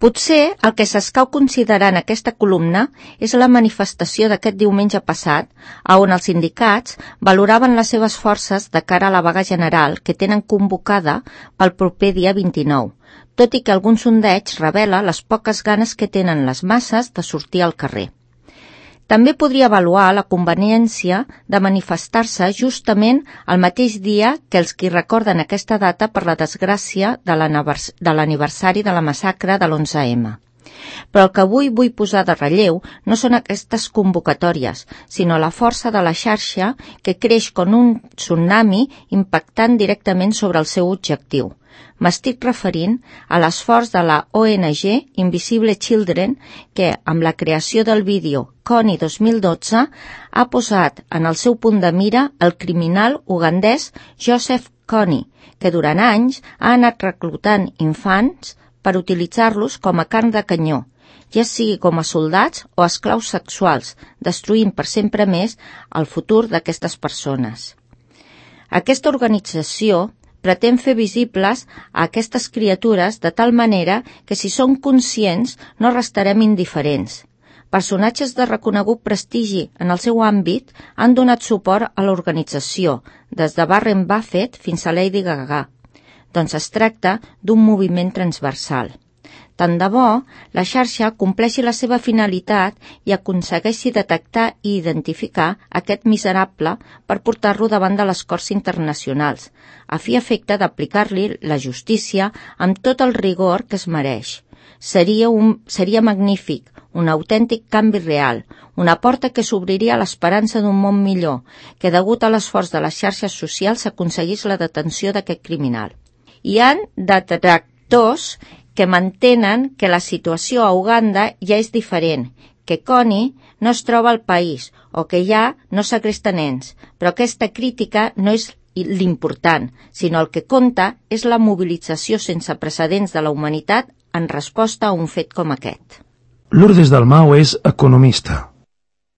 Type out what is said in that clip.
Potser el que s'escau considerar en aquesta columna és la manifestació d'aquest diumenge passat, on els sindicats valoraven les seves forces de cara a la vaga general que tenen convocada pel proper dia 29, tot i que algun sondeig revela les poques ganes que tenen les masses de sortir al carrer. També podria avaluar la conveniència de manifestar-se justament el mateix dia que els qui recorden aquesta data per la desgràcia de l'aniversari de la massacre de l'11M. Però el que avui vull posar de relleu no són aquestes convocatòries, sinó la força de la xarxa que creix com un tsunami impactant directament sobre el seu objectiu. M'estic referint a l'esforç de la ONG Invisible Children que, amb la creació del vídeo Kony 2012, ha posat en el seu punt de mira el criminal ugandès Joseph Kony, que durant anys ha anat reclutant infants per utilitzar-los com a carn de canyó, ja sigui com a soldats o esclaus sexuals, destruint per sempre més el futur d'aquestes persones. Aquesta organització pretén fer visibles a aquestes criatures de tal manera que si són conscients no restarem indiferents. Personatges de reconegut prestigi en el seu àmbit han donat suport a l'organització, des de Warren Buffett fins a Lady Gaga. Doncs es tracta d'un moviment transversal. Tant de bo la xarxa compleixi la seva finalitat i aconsegueixi detectar i identificar aquest miserable per portar-lo davant de les Corts Internacionals, a fi efecte d'aplicar-li la justícia amb tot el rigor que es mereix. Seria magnífic, un autèntic canvi real, una porta que s'obriria a l'esperança d'un món millor, que degut a l'esforç de les xarxes socials s'aconseguís la detenció d'aquest criminal. Hi ha detractors que mantenen que la situació a Uganda ja és diferent, que Kony no es troba al país o que ja no segresta nens, però aquesta crítica no és l'important, sinó el que compta és la mobilització sense precedents de la humanitat en resposta a un fet com aquest. Lourdes Dalmau és economista.